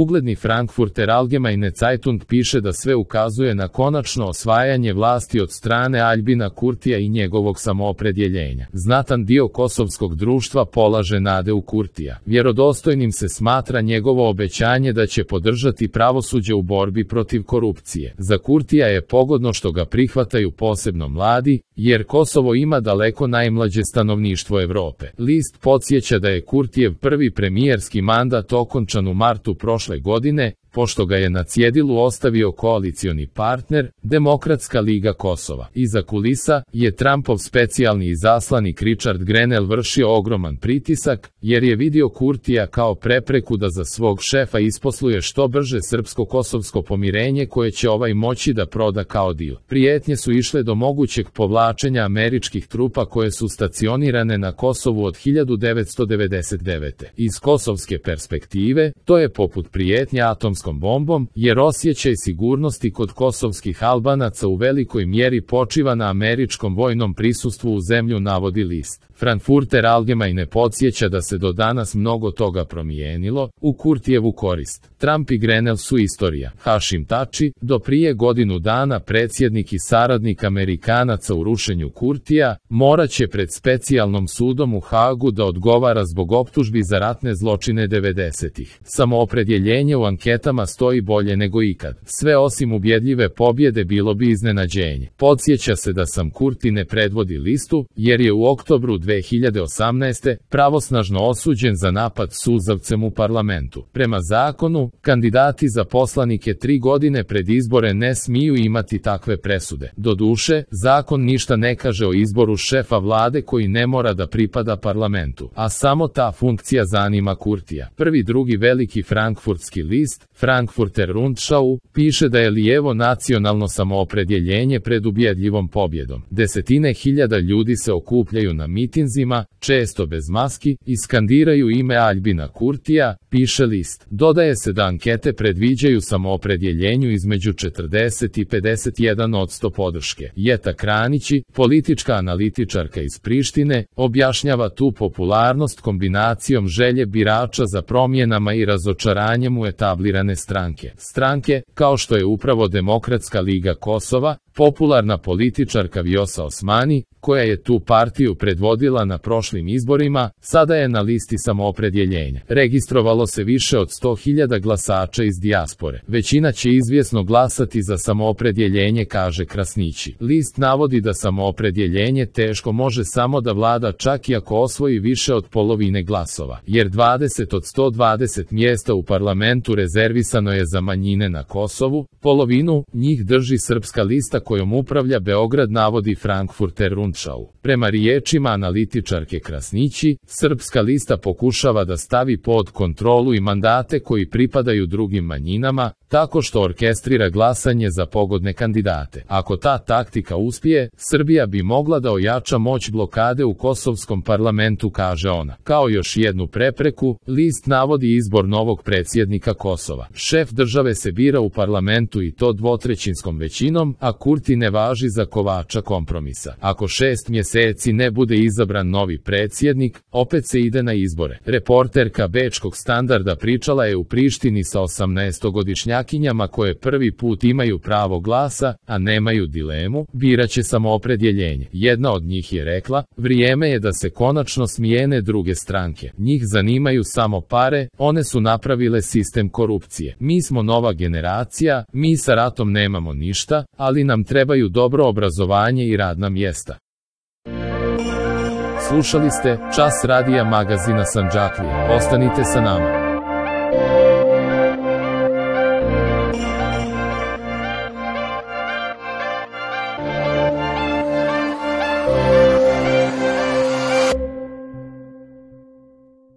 Ugledni Frankfurter Allgemeine Zeitung piše da sve ukazuje na konačno osvajanje vlasti od strane Aljbina Kurtija i njegovog samoopredjeljenja. Znatan dio kosovskog društva polaže nade u Kurtija. Vjerodostojnim se smatra njegovo obećanje da će podržati pravosuđe u borbi protiv korupcije. Za Kurtija je pogodno što ga prihvataju posebno mladi, jer Kosovo ima daleko najmlađe stanovništvo Evrope. List podsjeća da je Kurtijev prvi premijerski mandat okončan u martu prošle godine, pošto ga je na cjedilu ostavio koalicioni partner, Demokratska liga Kosova. Iza kulisa je Trumpov specijalni izaslanik Richard Grenell vršio ogroman pritisak, jer je vidio Kurtija kao prepreku da za svog šefa isposluje što brže srpsko-kosovsko pomirenje koje će ovaj moći da proda kao dil. Prijetnje su išle do mogućeg povlačenja američkih trupa koje su stacionirane na Kosovu od 1999. Iz kosovske perspektive, to je poput prijetnje atomskom bombom, jer osjećaj sigurnosti kod kosovskih Albanaca u velikoj mjeri počiva na američkom vojnom prisustvu u zemlju, navodi list. Frankfurter Allgemeine podsjeća da se do danas mnogo toga promijenilo u Kurtijevu korist. Trump i Grenell su istorija. Hašim Tači, do prije godinu dana predsjednik i saradnik Amerikanaca u rušenju Kurtija, morat će pred specijalnom sudom u Hagu da odgovara zbog optužbi za ratne zločine 90-ih. Samoopredjeljenje u anketama stoji bolje nego ikad. Sve osim ubjedljive pobjede bilo bi iznenađenje. Podsjeća se da Sam Kurti ne predvodi listu, jer je u oktobru 2018. pravosnažno osuđen za napad suzavcem u parlamentu. Prema zakonu, kandidati za poslanike 3 godine pred izbore ne smiju imati takve presude. Doduše, zakon ništa ne kaže o izboru šefa vlade koji ne mora da pripada parlamentu, a samo ta funkcija zanima Kurtija. Prvi drugi veliki frankfurtski list, Frankfurter Rundschau, piše da je lijevo nacionalno samoopredjeljenje pred ubjedljivom pobjedom. Desetine hiljada ljudi se okupljaju na mitinzima, često bez maski, i skandiraju ime Aljbina Kurtija, piše list. Dodaje se da ankete predviđaju samoopredjeljenju između 40 i 51% podrške. Jeta Kranići, politička analitičarka iz Prištine, objašnjava tu popularnost kombinacijom želje birača za promjenama i razočaranjem u etablirane stranke. Stranke, kao što je upravo Demokratska liga Kosova, popularna političarka Vjosa Osmani, koja je tu partiju predvodila na prošlim izborima, sada je na listi samoopredjeljenja. Registrovalo se više od 100.000 glasača iz dijaspore. Većina će izvjesno glasati za samoopredjeljenje, kaže Krasnići. List navodi da samoopredjeljenje teško može samo da vlada čak i ako osvoji više od polovine glasova, jer 20 od 120 mjesta u parlamentu rezervisano je za manjine na Kosovu, polovinu njih drži Srpska lista kojom upravlja Beograd, navodi Frankfurter Rundschau. Prema riječima analitičarke Krasnići, Srpska lista pokušava da stavi pod kontrolu i mandate koji pripadaju drugim manjinama, tako što orkestrira glasanje za pogodne kandidate. Ako ta taktika uspije, Srbija bi mogla da ojača moć blokade u kosovskom parlamentu, kaže ona. Kao još jednu prepreku, list navodi izbor novog predsjednika Kosova. Šef države se bira u parlamentu i to dvotrećinskom većinom, a Kurti ne važi za kovača kompromisa. Ako 6 mjeseci ne bude izabran novi predsjednik, opet se ide na izbore. Reporterka Bečkog Standarda pričala je u Prištini sa 18-godišnjakinjama koje prvi put imaju pravo glasa, a nemaju dilemu, biraće samoopredjeljenje. Jedna od njih je rekla, vrijeme je da se konačno smijene druge stranke. Njih zanimaju samo pare, one su napravile sistem korupcije. Mi smo nova generacija, mi sa ratom nemamo ništa, ali nam trebaju dobro obrazovanje i radna mjesta. Slušali ste Čas radija magazina Sandžaklija. Ostanite sa nama.